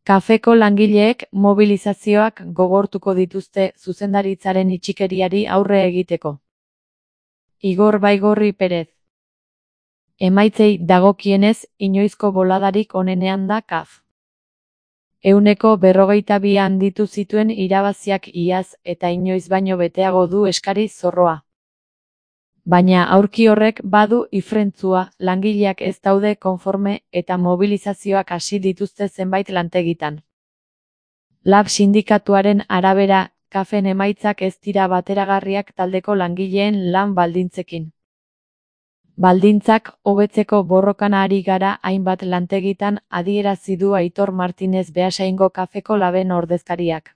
Kafeko langileek mobilizazioak gogortuko dituzte zuzendaritzaren itxikeriari aurre egiteko. Igor Baigorri Perez. Emaitzei dagokienez, inoizko boladarik onenean da KAF. 142 handitu zituen irabaziak iaz eta inoiz baino beteago du eskari zorroa. Baina aurki horrek badu ifrentzua, langileak ez daude konforme eta mobilizazioak hasi dituzte zenbait lantegitan. LAB sindikatuaren arabera, KAFen emaitzak ez dira bateragarriak taldeko langileen lan baldintzekin. Baldintzak hobetzeko borrokan ari gara hainbat lantegitan adierazi du Aitor Martinez Beasaingo KAFeko LABen ordezkariak.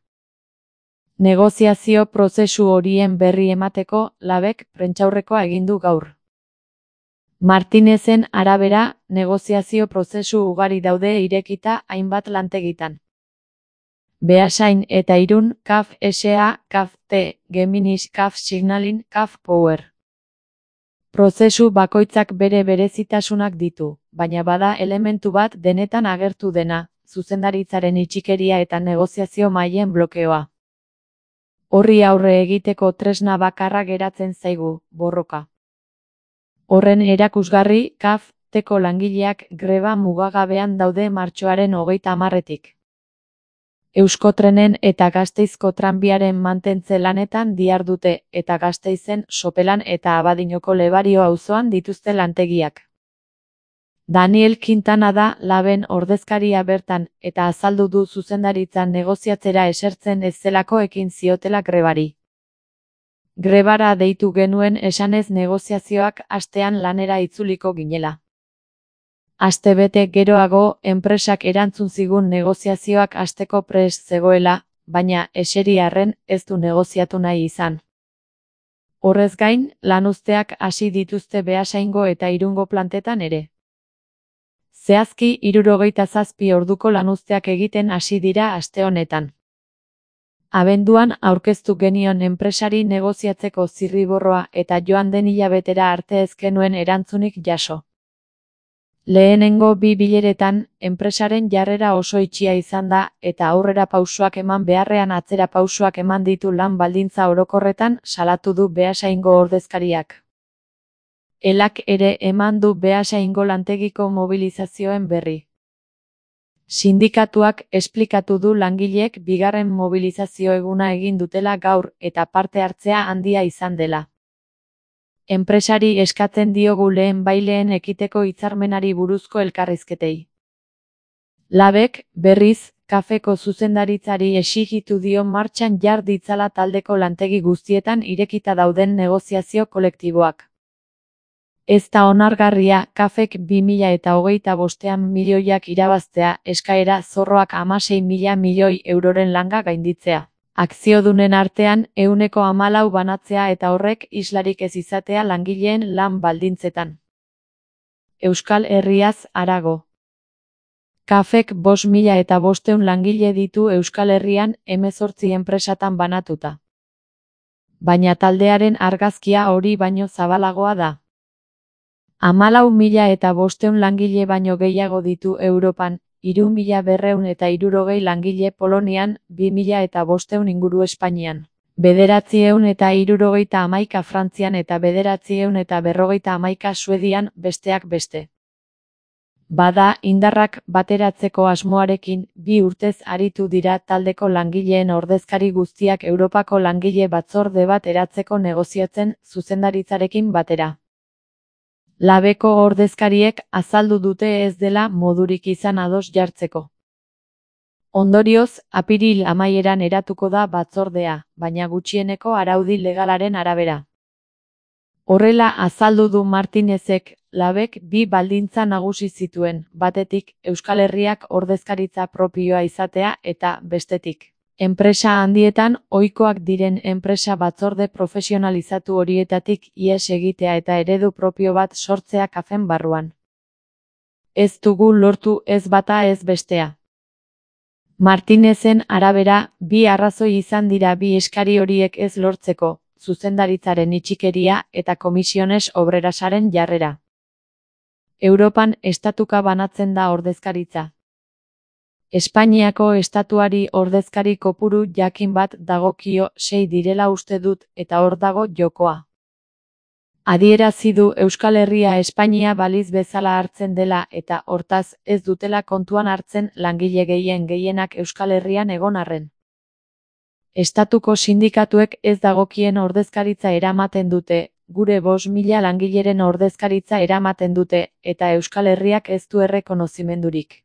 Negoziazio prozesu horien berri emateko LABek prentsaurrekoa egin du gaur. Martinezen arabera, negoziazio prozesu ugari daude irekita hainbat lantegitan. Beasain eta Irun, KAF SA, KAF T, Geminis, KAF Signaling, KAF Power. Prozesu bakoitzak bere berezitasunak ditu, baina bada elementu bat denetan agertu dena, zuzendaritzaren itxikeria eta negoziazio mailen blokeoa. Horri aurre egiteko tresna bakarra geratzen zaigu, borroka. Horren erakusgarri, KAF Teko langileak greba mugagabean daude martxoaren 30-etik. Euskotrenen eta Gasteizko tranbiaren mantentze lanetan dihardute eta Gasteizen Sopelan eta Abadinoko Lebario auzoan dituzte lantegiak. Daniel Quintana da LABen ordezkaria bertan eta azaldu du zuzendaritzan negoziatzera esertzen ez zelako ekin ziotela grebari. Grebara deitu genuen esanez negoziazioak astean lanera itzuliko ginela. Astebete geroago, enpresak erantzun zigun negoziazioak hasteko prest zegoela, baina eseri arren ez du negoziatu nahi izan. Horrez gain, lanuzteak hasi dituzte Beasaingo eta Irungo plantetan ere. Zehazki 67 orduko lanuzteak egiten hasi dira aste honetan. Abenduan aurkeztu genion enpresari negoziatzeko zirriborroa eta joan den hilabetera arte ez genuen erantzunik jaso. Lehenengo 2 bileretan, enpresaren jarrera oso itxia izan da eta aurrera pausoak eman beharrean atzera pausoak eman ditu lan baldintza orokorretan salatu du Beasaingo ordezkariak. Elak ere eman du Beasaingo lantegiko mobilizazioen berri. Sindikatuak esplikatu du langileek bigarren mobilizazio eguna egin dutela gaur eta parte hartzea handia izan dela. Enpresari eskatzen diogu lehen baileen ekiteko hitzarmenari buruzko elkarrizketei. LABek, berriz, KAFeko zuzendaritzari exigitu dio martxan jar ditzala taldeko lantegi guztietan irekita dauden negoziazio kolektiboak. Ez da onargarria KAFek 2025 milioiak irabaztea eskaera zorroak 16.000 milioi euroren langa gainditzea. Akziodunen artean 14% banatzea eta horrek islarik ez izatea langileen lan baldintzetan. Euskal Herriaz harago. KAFek 5.500 langile ditu Euskal Herrian 18 enpresatan banatuta. Baina taldearen argazkia hori baino zabalagoa da. 14.500 langile baino gehiago ditu Europan, 3.260 langile Polonian, 2.500 inguru Espainian, 971 Frantzian eta 951 Suedian, besteak beste. Bada, indarrak bateratzeko asmoarekin, 2 urtez aritu dira taldeko langileen ordezkari guztiak Europako langile batzorde bat eratzeko negoziatzen zuzendaritzarekin batera. LABeko ordezkariek azaldu dute ez dela modurik izan ados jartzeko. Ondorioz, apiril amaieran eratuko da batzordea, baina gutxieneko araudi legalaren arabera. Horrela azaldu du Martinezek, LABek 2 baldintza nagusi zituen, batetik, Euskal Herriak ordezkaritza propioa izatea eta, bestetik, enpresa handietan ohikoak diren enpresa batzorde profesionalizatu horietatik ihes egitea eta eredu propio bat sortzea KAFen barruan. Ez dugu lortu ez bata ez bestea. Martinezen arabera, 2 arrazoi izan dira 2 eskari horiek ez lortzeko, zuzendaritzaren itxikeria eta Comisiones Obrerasaren jarrera. Europan estatuka banatzen da ordezkaritza. Espainiako estatuari ordezkari kopuru jakin bat dagokio, 6 direla uste dut, eta hor dago jokoa. Adierazi du Euskal Herria Espainia baliz bezala hartzen dela eta, hortaz, ez dutela kontuan hartzen langile gehienak Euskal Herrian egon arren. Estatuko sindikatuek ez dagokien ordezkaritza eramaten dute, gure 5.000 langileren ordezkaritza eramaten dute, eta Euskal Herriak ez du errekonozimendurik.